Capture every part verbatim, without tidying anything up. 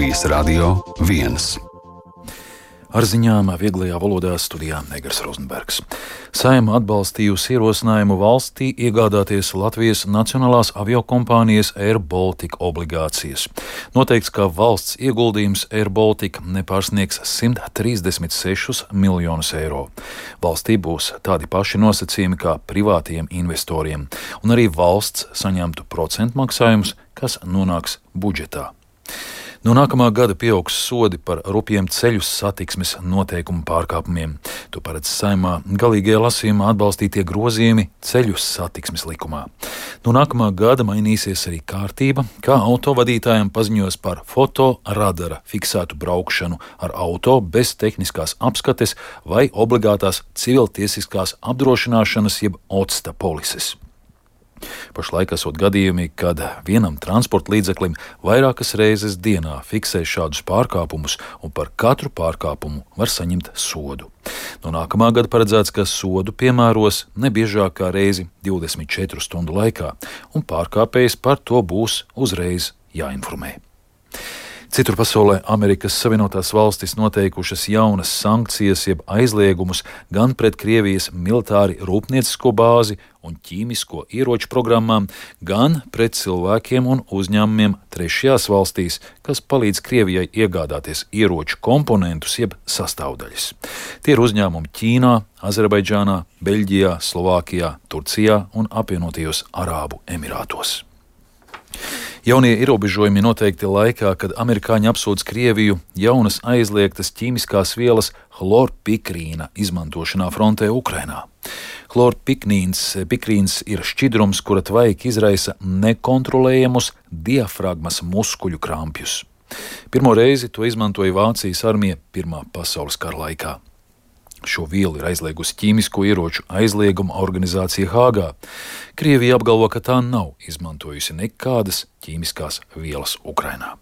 Latvijas Radio viens. Ar ziņām vieglajā valodā studijā Negars Rozenbergs. Saeima atbalstījusi ierosinājumu valstī iegādāties Latvijas nacionālās aviokompānijas Air Baltica obligācijas. Noteikts, ka valsts ieguldījums Air Baltica nepārsniegs simt trīsdesmit sešus miljonus eiro. Valstī būs tādi paši nosacījumi kā privātiem investoriem, un arī valsts saņemtu procentu maksājumus, kas nonāks budžetā. No nākamā gada pieaugs sodi par rupjiem ceļu satiksmes noteikumu pārkāpumiem. To paredz Saeimā galīgajā lasījumā atbalstītie grozījumi ceļu satiksmes likumā. No nākamā gada mainīsies arī kārtība, kā autovadītājiem paziņos par fotoradara fiksētu braukšanu ar auto bez tehniskās apskates vai obligātās civiltiesiskās apdrošināšanas jeb otsta polises. Pašlaik esot gadījumi, kad vienam transporta līdzeklim vairākas reizes dienā fiksē šādus pārkāpumus un par katru pārkāpumu var saņemt sodu. No nākamā gada paredzēts, ka sodu piemēros nebiežāk kā reizi divdesmit četru stundu laikā, un pārkāpējs par to būs uzreiz jāinformē. Citur pasaulē Amerikas Savienotās valstis noteikušas jaunas sankcijas jeb aizliegumus gan pret Krievijas militāri rūpniecisko bāzi un ķīmisko ieroču programmām, gan pret cilvēkiem un uzņēmumiem trešajās valstīs, kas palīdz Krievijai iegādāties ieroču komponentus jeb sastāvdaļas. Tie ir uzņēmumi Ķīnā, Azerbaidžānā, Beļģijā, Slovākijā, Turcijā un apvienotajos Arābu Emirātos. Jaunie ierobežojumi noteikti laikā, kad amerikāņi apsūdz Krieviju jaunas aizliegtas ķīmiskās vielas chlorpikrīna izmantošanā frontē Ukrainā. Chlorpikrīns ir šķidrums, kura tvaiki izraisa nekontrolējamus diafragmas muskuļu krampjus. Pirmo reizi to izmantoja Vācijas armija Pirmā pasaules kara laikā. Šo vielu ir aizliegusi ķīmisko ieroču aizlieguma organizācija Hāgā. Krievija apgalvo, ka tā nav izmantojusi nekādas ķīmiskās vielas Ukrainā.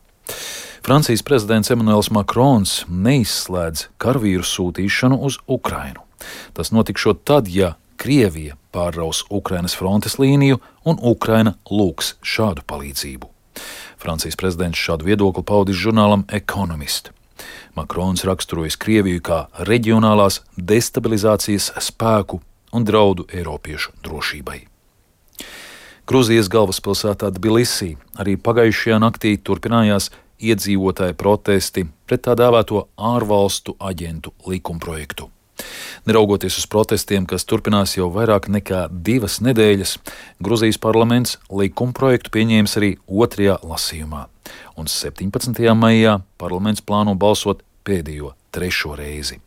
Francijas prezidents Emmanuels Macrons neizslēdz karavīru sūtīšanu uz Ukrainu. Tas notikšot tad, ja Krievija pārraus Ukrainas frontes līniju un Ukraina lūgs šādu palīdzību. Francijas prezidents šādu viedokli paudis žurnālam Economist. Makrons raksturojas Krieviju kā reģionālās destabilizācijas spēku un draudu Eiropiešu drošībai. Gruzijas galvaspilsētā Tbilisī arī pagājušajā naktī turpinājās iedzīvotāju protesti pret tā dēvēto ārvalstu aģentu likumprojektu. Neraugoties uz protestiem, kas turpinās jau vairāk nekā divas nedēļas, Gruzijas parlaments likumprojektu pieņēmis arī otrajā lasījumā, un septiņpadsmitajā maijā parlaments plāno balsot pēdējo trešo reizi.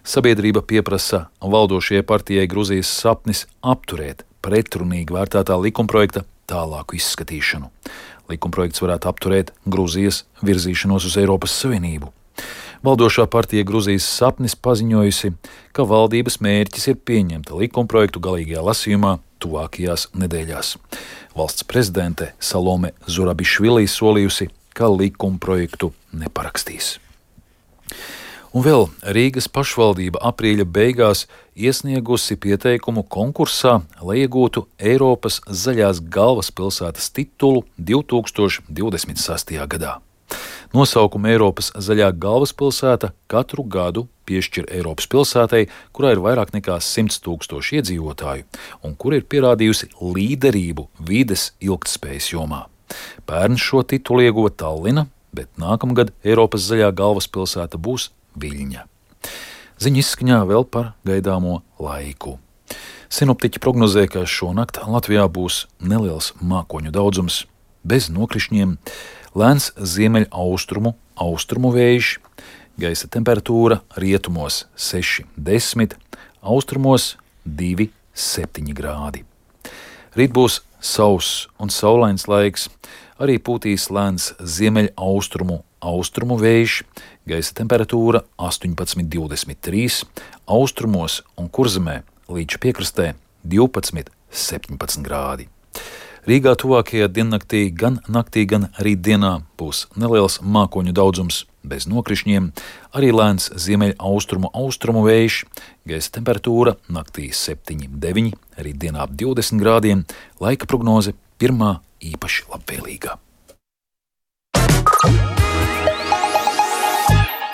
Sabiedrība pieprasa valdošajai partijai Gruzijas sapnis apturēt pretrunīgi vērtētā likumprojekta tālāku izskatīšanu. Likumprojekts varētu apturēt Gruzijas virzīšanos uz Eiropas Savienību. Valdošā partija Gruzijas sapnis paziņojusi, ka valdības mērķis ir pieņemt likumprojektu galīgajā lasījumā tuvākajās nedēļās. Valsts prezidente Salome Zurabišvili solījusi, ka likumprojektu neparakstīs. Un vēl Rīgas pašvaldība aprīļa beigās iesniegusi pieteikumu konkursā, lai iegūtu Eiropas zaļās galvaspilsētas titulu divtūkstoš divdesmit sestajā gadā. Nosaukumu Eiropas zaļā galvaspilsēta katru gadu piešķir Eiropas pilsētai, kurā ir vairāk nekā simts tūkstoši iedzīvotāju un kur ir pierādījusi līderību vides ilgtspējas jomā. Pērn šo titulu ieguva Tallina, bet nākamgad Eiropas zaļā galvaspilsēta būs Viļņa. Ziņu izskaņā vēl par gaidāmo laiku. Sinoptiķi prognozē, ka šonakt Latvijā būs neliels mākoņu daudzums, bez nokrišņiem, lēns ziemeļaustrumu austrumu vējš, gaisa temperatūra rietumos seši desmit, austrumos divi septiņi grādi. Rīt būs sauss un saulains laiks, arī pūtīs lēns ziemeļaustrumu austrumu vējš, gaisa temperatūra astoņpadsmit divdesmit trīs, austrumos un Kurzemē līdz piekrastē divpadsmit septiņpadsmit grādi. Rīgā tuvākajā diennaktī gan naktī, gan rītdienā būs neliels mākoņu daudzums bez nokrišņiem, arī lēns ziemeļaustrumu austrumu vējš, gaisa temperatūra naktī septiņi deviņi, rītdienā ap divdesmit grādiem, laika prognoze pirmā īpaši labvēlīga.